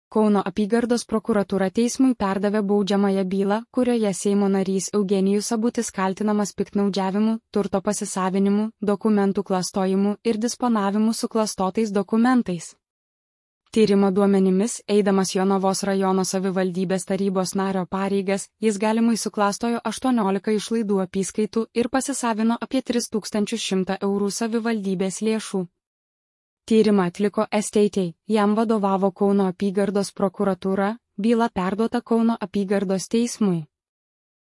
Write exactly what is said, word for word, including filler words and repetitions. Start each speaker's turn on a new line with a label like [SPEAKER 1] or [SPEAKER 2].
[SPEAKER 1] Kauno apygardos prokuratūra teismui perdavė baudžiamąją bylą, kurioje Seimo narys Eugenijus Sabutis kaltinamas piktnaudžiavimu, turto pasisavinimu, dokumentų klastojimu ir disponavimu suklastotais dokumentais. Tyrimo duomenimis, eidamas Jonavos rajono savivaldybės tarybos nario pareigas, jis galimai suklastojo aštuoniolika išlaidų apyskaitų ir pasisavino apie tris tūkstančius šimtą eurų savivaldybės lėšų. Tyrimą atliko S T T, jam vadovavo Kauno apygardos prokuratūra, byla perduota Kauno apygardos teismui.